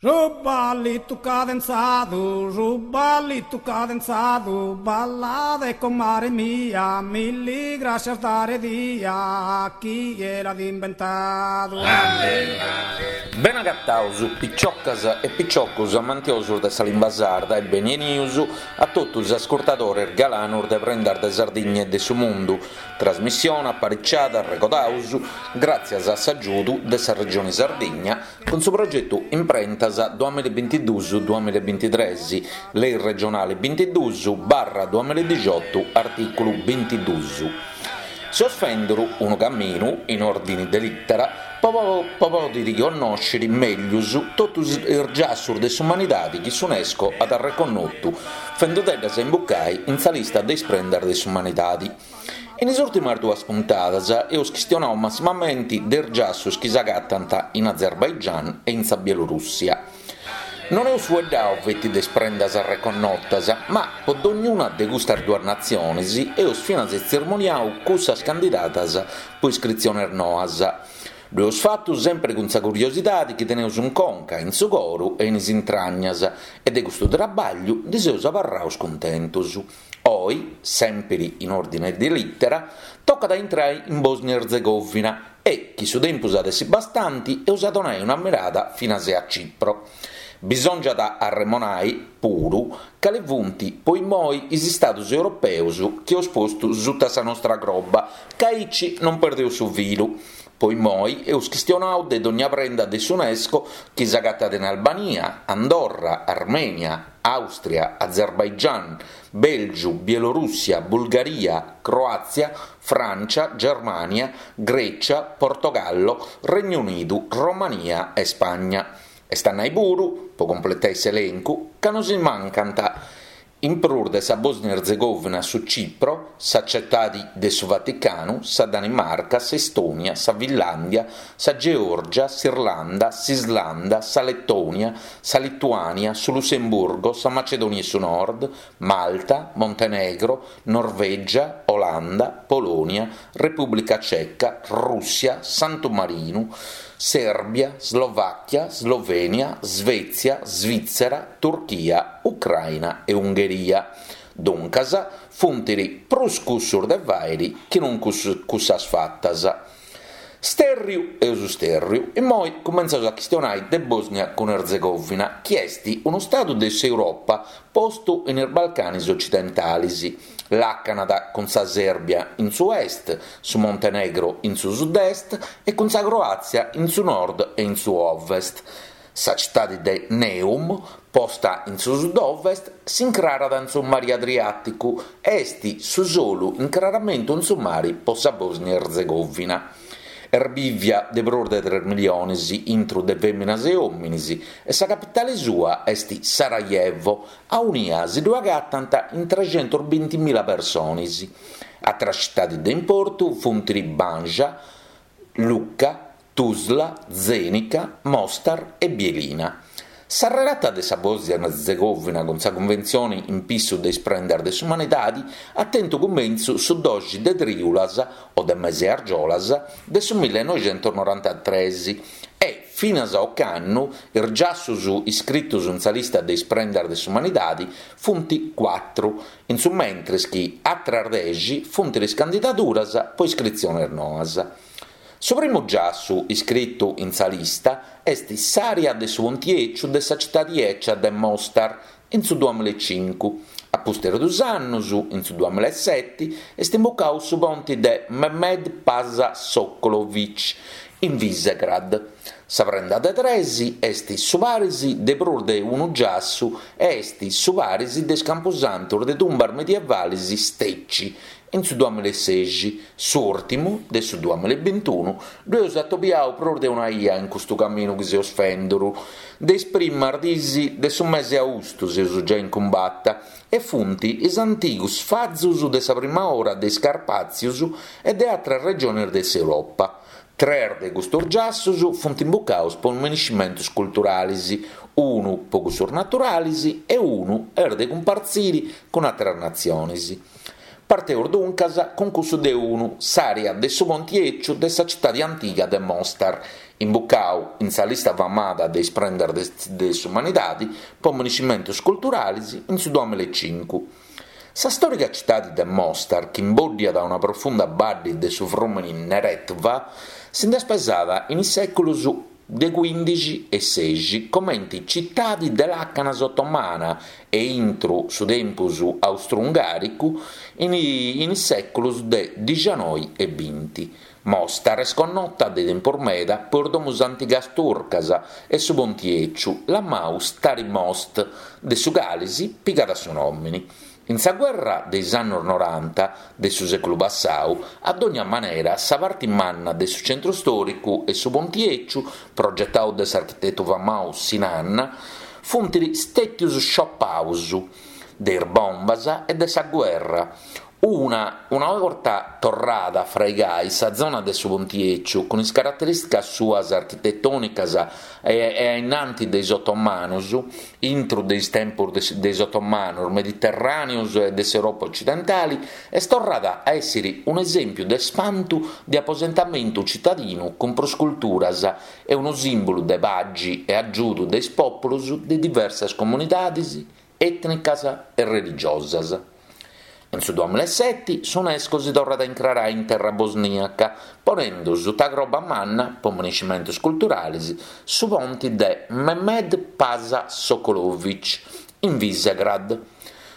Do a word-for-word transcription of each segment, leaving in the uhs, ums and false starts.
Su ballitu cadenzadu, su ballitu cadenzadu, ballade comare mia, milli grascias dare dia, chie l'at imbentadu. Bene agataus, piciocas e piciocos amantiosos de sa limba sarda e beni 'enius a totu is ascurtadores galanos de Prendas de Sardigna e de su Mundu, trasmissione apariciada, arregodaus, gràtzias a s'agiudu de sa Regione Sardigna cun su progetu Imprentas duamilla e bintiduus duamilla e bintitres, Lei regionale bintiduus barra duamilla e dixiotu artìculu bintiduus. Seus fenduru unu caminu, in òrdini de lìtera, po pòdiri connòsciri mègius totus is giassus de s'umanidadi chi s'Unesco at arreconnotu, fendudeddas imbucai in sa lista de is prendas de s'umanidadi. In is ùrtimas duas puntadas eus chistionau massimamenti de is giassus chi s'agatant in Azerbaigian e in sa Bielorùssia. Non eus fueddau feti de is prendas arreconnotas, ma po dognuna de custas duas natziones eus finas tzirmoniau cussas candidadas po iscritziones noas. Ddu eus fatu sempri cun sa curiosidadi chi teneus in conca, in su coru e in is intragnas e de custu trabagliu ndi seus abarraus cuntentus. Oi, sèmpiri in òrdine de lìtera, tocat a intrai in Bòsnia-Erzegovina e, chi su tempus at essi bastanti, eus a donai una mirada finas a Cipro. Bisòngiat a arremonai, puru, cali funt po immoi is istadus europeus chi eus postu suta sa nostra croba, ca aici non perdeus su filu. Po immoi eus chistionau de dogna prenda de s'Unesco chi s'agatat in Albania, Andorra, Armènia, Àustria, Azerbaigian, Bèlgiu, Bielorùssia, Bulgaria, Croàtzia, Frància, Germània, Grècia, Portogallo, Regnu Unidu, Romania e Spagna. Est a nai puru, po completai s'elencu, ca nos mancant, in prus de sa Bòsnia-Erzegovina su Cipro, sa Cetadi de su Vaticanu, sa Danimarca, s'Estònia, sa Finlàndia, sa Geòrgia, s'Irlanda, s'Islanda, sa Letònia, sa Lituània, su Lussemburgo, sa Macedònia 'e su Nord, Malta, Montenegro, Norvègia, Olanda, Polònia, Repùblica Ceca, Rùssia, Santu Marinu, Sèrbia, Slovàchia, Slovènia, Svètzia, Svìtzera, Turchia, Ucraina e Ungheria. Duncas, funt prus cussus de fàiri chi non cussas fatas. Stèrriu eus stèrriu, immoi cumentzaus a chistionai de Bòsnia cun Erzegovina, chi est unu stadu de s'Europa postu in is Balcanis ocidentalis. Làcanat cun sa Sèrbia in su est, su Montenegro in su sud-est e cun sa Croàtzia in su nord e in su ovest. Sa citadi de Neum, posta in su sud-ovest, s'incrarat in su mari Adriàticu e est su solu incraramentu in su mari po sa Bòsnia-Erzegovina. Est bìvia de prus de tres milliones intru de fèminas e òmines e sa capitale sua est Sarajevo, aunia si ddu agatant in trexentos bintimila persones. Atras citades de importu funt Banja Luka, Tuzla, Zenica, Mostar e Bielina. Sa relata de sa Bòsnia-Erzegovina cun sa Cunventzione in pissu de is prendas de s'umanidade at tentu cumentzu su doxi de trìulas, o de mese 'e argiolas, de su millenoixentos norantatres e, finas a ocannu, is giassus iscritos in sa lista de is prendas de s'umanidade funt cuatru, in su mentres chi atras dexi funt is candidaduras po iscritziones noas. Su primu giassu iscritu in sa lista est s'àrea de su Ponti Eciu de sa citadi ecia de Mostar in su duamilla e cincu. A pustis dus annus, in su duamilla e seti, est imbucau su ponti de Mehmed Pasa Sokolović in Visegrad. Sa prenda de tres est su paris de prus de unu giassu e est su paris de is campusantos de tumbas medievales Steci in su duamilla e sexi, s'ùrtimu de su duamilla e bintunu. Ddu eus atobiau prus de una 'ia in custu caminu chi seus fenduru. De is primas diis de su mese austu seus giai in cumbata e funt is antigus fazus de sa prima ora de is Carpàtzius e de atras regiones de s'Europa. Tres de custos giassus funt imbucaus po miniscimentos culturales, unu po cussos naturales e unu est de cumpartzire cun àteras natziones. Parteus duncas cun cussu de unu, s'àrea de su Ponti Eciu de sa citade antiga de Mostar, Imbucau in sa lista famada de is prendas de s'umanidadi po monumentus culturalis in su duamilla e cincu. Sa stòrica citadi de Mostar, chi imbòddiat una profunda baddi de su frùmini Neretva, si nd'est pesada in is sèculus de cuìndixi e sexi comenti citadi de làcanas otomana e intru su tempus austru-ungàricu in is sèculus de dixanoi e binti. Mostar est connota de tempus meda po is domus antigas turcas e su ponti 'eciu, lamau Stari Most, de su cali si pigat su nòmini. In sa guerra de is annos noranta de su sèculu passau, a dònnia manera, sa parti manna de su centru stòricu e su ponti 'eciu, progetau de s'architetu famau Sinan, funt stètius sciopaus de is bombas e de sa guerra. Una una borta torrada a fraigai sa zona de su Ponti 'Eciu cun is caraterìsticas suas architetònicas e a innanti de is otomanus, intru de is tempus de is otomanus, mediterràneos e de s'Europa ocidentali, est torrada a èssiri un'esèmpiu de spantu de aposentamentu citadinu cun prus culturas e unu sìmbulu de pagi e agiudu de is pòpulus de diversas comunidades ètnicas e religiosas. In su duamilla e seti s'Unesco si torrat a incrarai in terra bosniaca, ponendu suta croba manna, po monumentus culturales, su ponti de Mehmed Pasa Sokolović in Visegrad.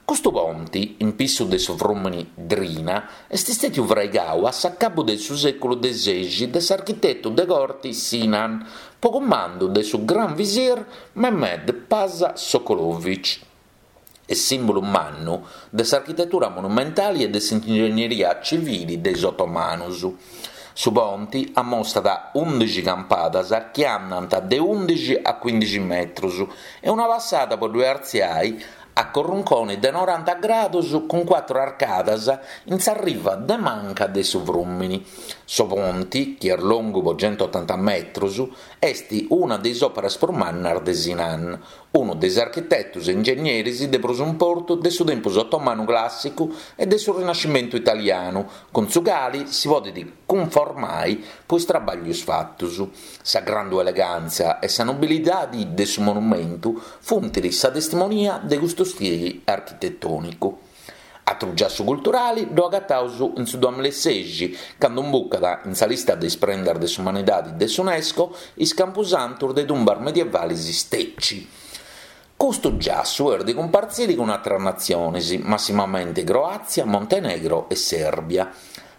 Custu ponti, in pissu de su frùmini Drina, est stètiu fraigau a s'acabu de su sèculu de sexi de s'architetu de corti Sinan, po cumandu de su Gran Visir Mehmed Pasa Sokolović. Est sìmbulu mannu de s'architetura monumentali e de s'ingegneria civili de is otomanus. Su ponti ammostat ùndixi campadas chi andant de ùndixi a cuìndixi metrus e una passada po ddue artziai a corrunconi de noranta grados cun cuatru arcadas in sa riva de manca de su frùmini. Su ponti, chi est longu po centuotanta metrus, est una de is òperas prus mannas de Sinan, unu de is architetus e ingegneris de prus importu de su tempus otomanu clàssicu e de su Rinascimentu italianu, cun su cali si podet cunformai po is trabàllius fatus. Sa grandu elegàntzia e sa nobilidadi de su monumentu funt sa testimonia de custu stili architetònicu. Atru giassu culturali ddu agataus in su duamilla e sexi, candu imbucat in sa lista de is prendas de s'umanidadi de s'Unesco is campusantus de tumbas medievalis Steci. Custu giassu est de cumpartziri cun atras natziones, massimamente Croàtzia, Montenegro e Sèrbia.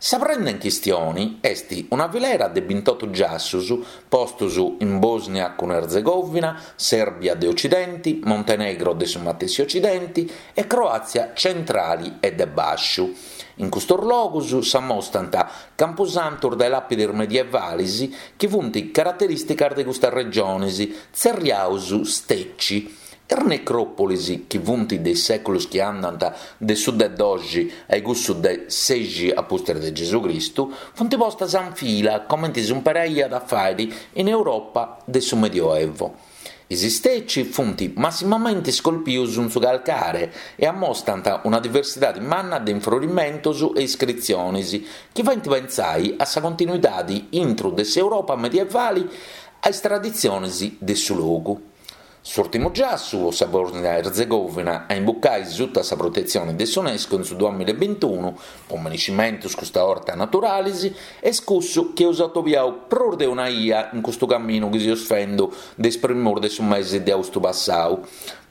Sa prenda in chistione est una filera de bintotto giassus postos in Bòsnia cun Erzegovina, Sèrbia de Ocidenti, Montenegro de su matessi Ocidenti e Croàtzia centrali e de bàsciu. In custos logos s'ammostant campusantos de làpides medievales chi funt caraterìsticas de custas regiones, tzerriaus steci. Is necròpolis, chi funt de is sèculos chi andant de su de doxi a cussu de sexi a pustis de Gesù Cristu, funt postas in fila comente si imparaiat a fàere in Europa de su Medioevo. Is steci funt massimamente scolpius in su calcare e ammostant una diversidade manna de infrorimentos e iscritziones chi faent pensare a sa continuidade intro de s'Europa medievale a is traditziones de su logu. S'ùrtimu giassu, o sa Bòsnia-Erzegovina, a imbucai sutta sa protetzione de s'Unesco in su duamilla e bintunu, po monumentos custa 'orta naturales, est cussu chi eus atobiau prus de una 'ia in custu caminu chi seus fendo de is primos de su mese de austu passau,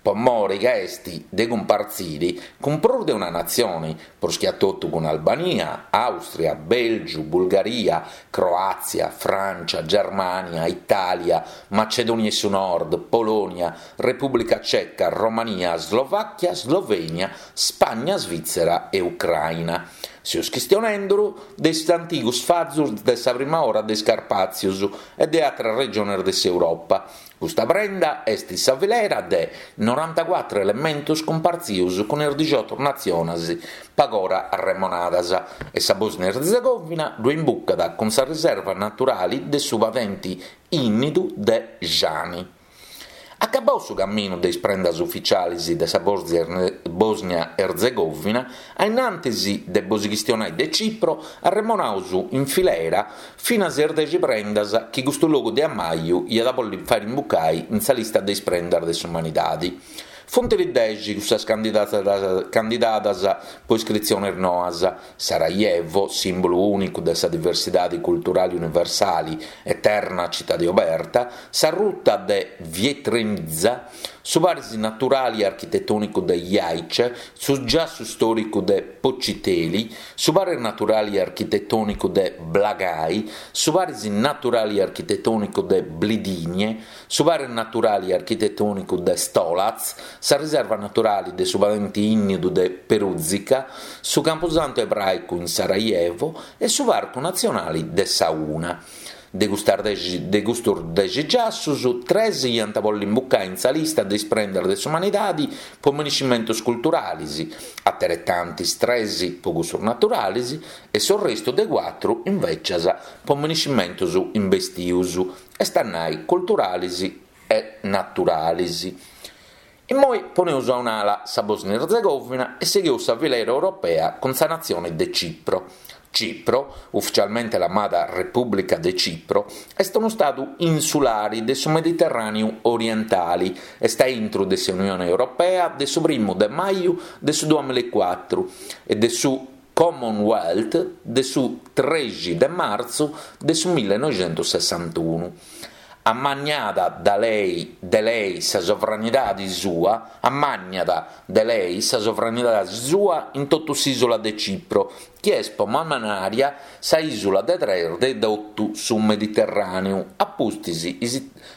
po more ca est de cumpartzire cun prus de una natzione, prus che a totu cun Albania, Àustria, Bèlgiu, Bulgaria, Croàtzia, Frància, Germània, Itàlia, Macedònia 'e su Nord, Polònia, Repùblica Ceca, Romania, Slovàchia, Slovènia, Spagna, Svìtzera e Ucraina. Seus chistionenduru de is antigos fazos de sa prima ora de is Carpàtzios e de àteras regiones de s'Europa. Custa prenda est sa filera de norantacuatro elementos cumpartzios cun is diciotto natziones pagora arremonadas e sa Bòsnia-Erzegovina ddu imbucat cun sa riserva naturale de su padente ìnnidu de Žani. Acabau su caminu de is prendas ufitziales de sa Bòsnia Bosnia-Erzegovina, a innantis de bos chistionai de Cipro, arremonaus in filera finas is dexi prendas chi custu logu de ammaju iat a bolli fai imbucai in sa lista de is prendas de s'umanidadi. Funt dexi cussas candidadas po iscritziones noas, Sarajevo, sìmbulu ùnicu de sa diversidade culturale universale, eterna citade oberta, sa ruta de Vjetrenica, su paris naturale e architetònicu de Jajce, su giassu istòricu de Počitelj, su paris naturale e architetònicu de Blagaj, su paris naturale e architetònicu de Blidinje, su paris naturale e architetònicu de Stolac, sa riserva naturale de su padente ìnnidu de Peruzica, su campusantu ebràicu in Sarajevo e su parcu natzionale de sa Una. De custas dexi, de custos dexi giassos, tres iant a bolli imbucai in sa lista de is prendas de s'umanidade po menescimentos culturales, ateretantis tres po cussos naturales e s'orrestu de cuatru, invecias, po menescimentos imbestius, est a nai culturales e naturales. Immoi poneus a un'ala sa Bosnia-Erzegovina e sigheus sa filera europea cun sa natzione de Cipro. Cipro, ufficialmente lamada Repùblica de Cipro, est unu stadu insulare de su Mediterràneu orientale, est a intro de s'Unione Europea de su primu de maju de su duamilla e cuatru e de su Commonwealth de su trexi de martzu de su millenoixentosessantunu. Ammaniada da lei, de lei sa sovranidade sua, ammaniat de lei sa sovranidade sua in totu s'ìsula de Cipro, chi est po mannaria sa ìsula de tres de totu su Mediterràneu, a pustis,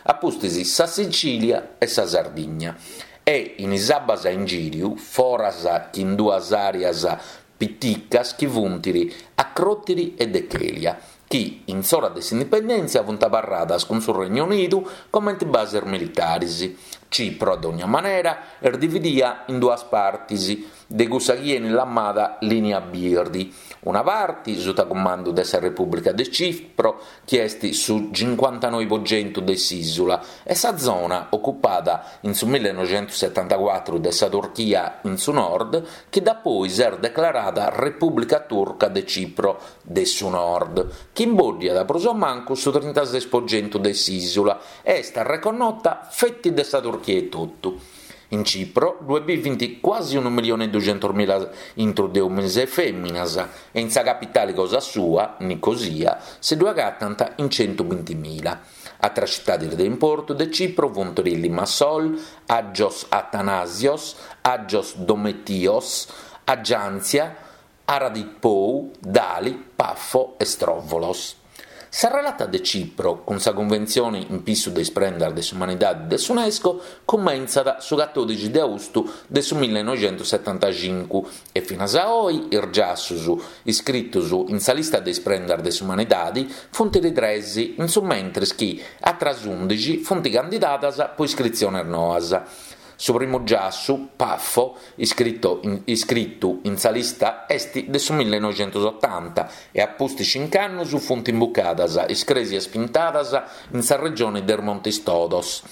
a pustis sa Sicìlia e sa Sardigna. E in is abbas a ingìriu, foras chi in duas àreas piticas chi funt Acròtiri e Dhekelia, chi in s'ora de s'indipendèntzia funt abarradas cun su Regnu Unidu comente bases militares. Cipro, a dogna manera, est dividia in duas partes, de cussa chi enit lamada Lìnia Birdi. Una parte sutta cumandu de sa Repùblica de Cipro, chi est su cincuantanoi po centu de s'ìsula, e sa zona ocupada in su millenoixentosetantacuatru de sa Turchia in su nord, chi dapoi s'est declarada Repùblica Turca de Cipro de su Nord, chi imboddiat prus o mancu su trintases po centu de s'ìsula e est reconnota feti de sa Turchia etotu. In Cipro ddue bivint quasi unu milione e duxentos mila intro de òmines e fèminas e in sa capitale cosa sua, Nicosia, si ddue agatant in centubintimila. Atras citades de importu de Cipro funt Limassol, Agios Athanasios, Agios Dometios, Agiantzia, Aradippou, Dali, Pafo e Strovolos. Sa relata de Cipro cun sa Cunventzione in pissu de is prendas de s'umanidade de s'UNESCO cumentzat su catòdixi de austu de su millenoixentosetantacincu e finas a oi is giassos iscritos in sa lista de is prendas de s'umanidade funt tres, in su mentres chi atras ùndixi funt candidadas po iscritziones noas. Su primu giassu, Pafo, iscrito in, iscritu in sa lista est de su millenoixentosotanta e a pustis cincu annos funt imbucadas is crèsias pintadas in sa regione de Montes Todos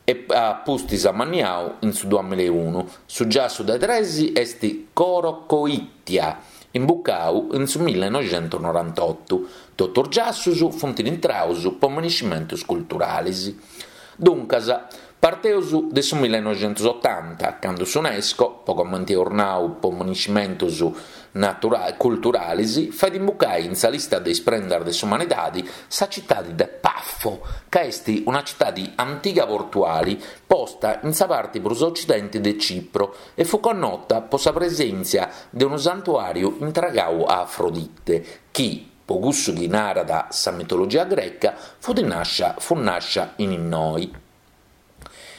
e a pustis ammaniau in su duamilla e unu. Su giassu de tres est Choirokoitia, imbucau in su millenoixentonorantotto. Totus giassos funt intraus po menescimentos culturales. Duncas, parteus de su millenoixentosotanta, cando s'UNESCO, po comente eus nau po menescimentos natura- culturales, fait imbucai in sa lista de is prendas de s'umanidade sa citade de Pafo, ca est una citade antiga portuale posta in sa parte prus occidente de Cipro e fu connota po sa presèntzia de unu santuàriu intregau a Afrodite, chi, po cussu chi narat sa mitologia greca, fu nascia, fu nascia in innoi.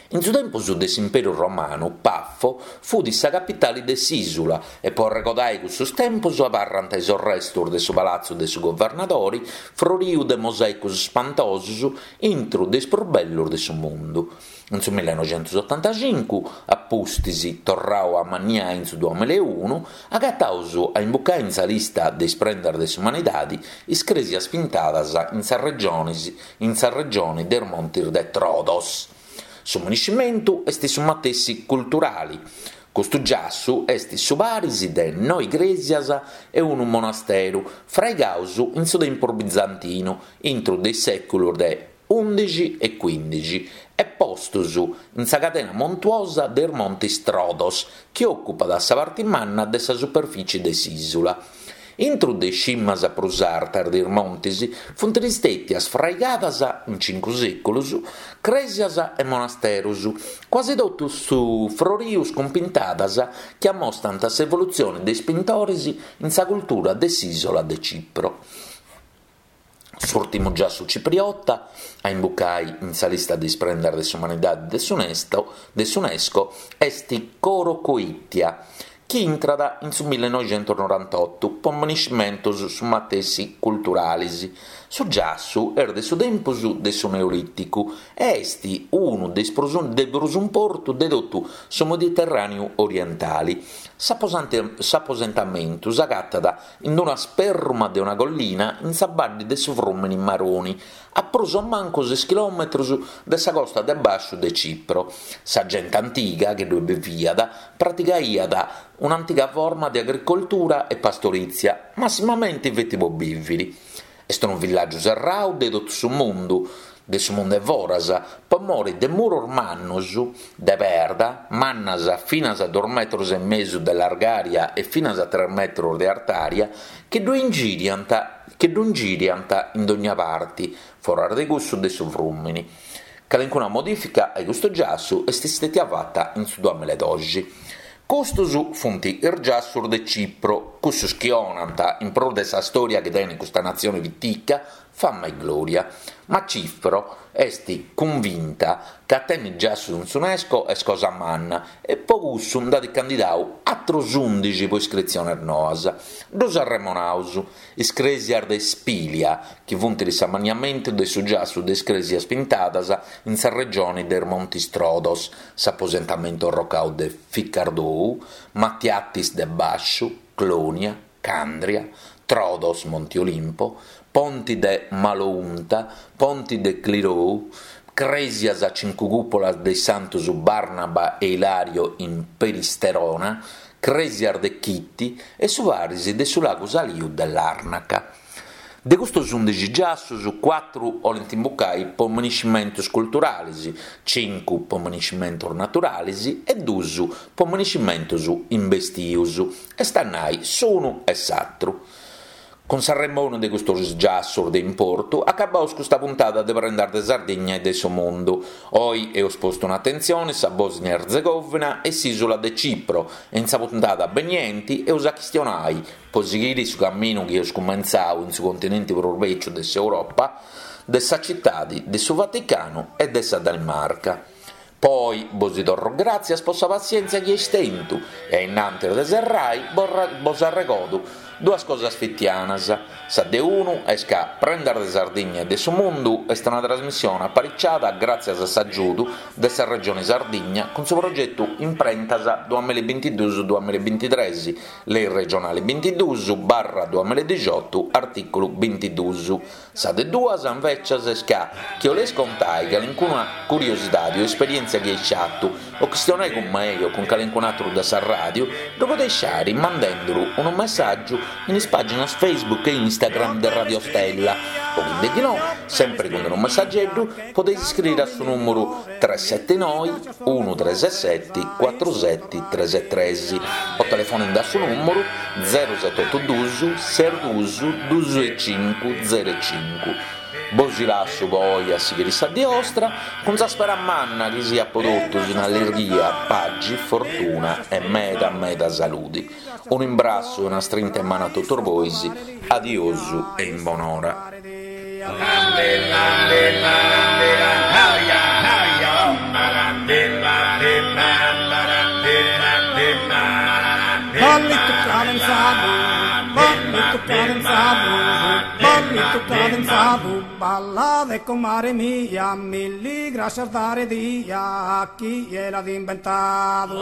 In su tempus de s'Imperu Romanu, Pafo fut sa capitale de s'ìsula e po arregodai cussos tempos abarrant is restos de su palazzo de su governadore, froriu de mosaicos spantosos intro de is prus bellos de su mundu. In su millenoixentosetantacincu, a pustis torrau a ammaniai in su duamilla e unu, agataus a imbucai in sa lista de is prendas de s'umanidade is crèsias pintadas in sa regiones, in sa regione de Montes de Trodos. Su menescimentu est su matessi culturale. Custu giassu est su paris de noe crèsias e unu monasteru fraigados in su tempus bizantinu, intro de is sèculos de ùndixi e cuìndixi, e postos in sa cadena montuosa de is Montes Trodos, chi òcupat sa parte manna de sa superfìtzie de s'ìsula. Intro de is cimas prus artas de is montes funt istètias fraigadas, in cincu sèculos, crèsias e monasteros, quasi totus froridos cun pintadas chi ammostrant s'evolutzione de is pintores in sa cultura de s'ìsula de Cipro. S'ùrtimu giassu cipriota a imbucare in sa lista de is prendas de s'umanidade de s'UNESCO est Choirokoitia, chi intrat in su millenoighentos-norantotto po maniscimentos su matessi culturales. Su giassu est de su tempus de su Neolìticu e est unu de is prus de prus importu de totu su Mediterràneu orientale. S'aposentamentu s'agatat in una sperruma de una collina in sa badde de su frùmene Maroni, a prus o mancu ses chilòmetros de sa costa de bàsciu de Cipro. Sa gente antiga chi ddoe biviat praticaiat un'antiga forma de agricoltura e pastorìtzia, massimamente feti pro bìvere. Est unu villàgiu serradu de totu su mundu, de su mundu 'e foras, pro more de muros mannos de perda, mannas finas a duos metros e mesu de largària e finas a tres metros de artària, chi ddu ingìriant chi ddu ingìriant in dogna parte, foras de cussu de su frùmene. Calincuna modìfica a custu giassu est istètia fata in su duamilla e doxi. Custos funt is giassos de Cipro, cussos chi 'onant, in prus de sa storia chi tenet custa natzione pitica, fama e gloria. Ma Cipro est cunvinta ca tenni giassos in s'UNESCO est cosa manna e po cussu nd'at candidadu atros ùndixi po iscritziones noas. Ddos arremonaus, is crèsias de Spilia, chi funt s'amanniamentu de su giassu de is crèsias pintadas in sa regione de is Montes Trodos, s'aposentamentu arrocadu de Ficardou, Matiatis de Bàsciu, Clonia, Candria, Trodos, Monte Olimpo, Ponti de Malounta, Ponti de Klirou, crèsias a cincu cùpolas de is Santos Barnaba e Ilario in Peristerona, crèsias de Chiti e su paris de su lagu Saliu de Larnaca. De custos ùndixi giassos, cuatru 'olent imbucare po maniscimentos culturales, cincu po maniscimentos naturales e duos po maniscimentos imbestios, est a nai s'unu e s'atru. Cun s'arremonu de custos giassos de importu, acabaus custa puntada de Prendas de Sardigna e de su Mundu. Oi eus postu un'atentzione sa Bosnia Erzegovina e s'ìsula de Cipro e in sa puntada benienti eus a chistionai, po sighire su camminu chi eus cumentzadu in su continente prus bèciu de s'Europa, de sa citade de su Vaticanu e de sa Danimarca. Poi bos torro gràtzias po sa passièntzia chi eis tentu e innantis de serrai bos arregodo duas cosas fitianas. Sa de unu est ca Prendas de Sardigna e de su Mundu est una trasmissione apariciada gràtzias a s'agiudu de sa Regione Sardigna cun su progetu Imprentas duamilla e bintiduus duamilla e bintitrès, Lei regionale bintiduus barra duamilla e dixiotu, artìculu bintiduus. Sa de duas, invecias, est ca chi 'oleis contai calincuna curiosidade o esperièntzia chi eis fatu o chistionai cun mei o cun calincun'atru de sa ràdiu, ddu podeis fàere mandenduru unu messàgiu in is pàginas Facebook e Instagram de Radio Stella o chi de no, sempre cun unu messageddu, podeis iscriere a su nùmeru tres sette noe uno tre sette quattro sette tre tre o telefonende a su nùmeru zero sette otto due sei due due cinque zero cinque. Bos lassu poi a sighire sa die 'ostra cun sa spera manna chi siat po totus in allegria, paxi, fortuna e meda meda salude. Un imbrassu e una strinta 'e manu a totus bois, adiosu e in bonora. Ballito cadenzado, ballito cadenzado, ballito cadenzado, balla de comare mia, milli gracias dare dia a chi l'ha inventato.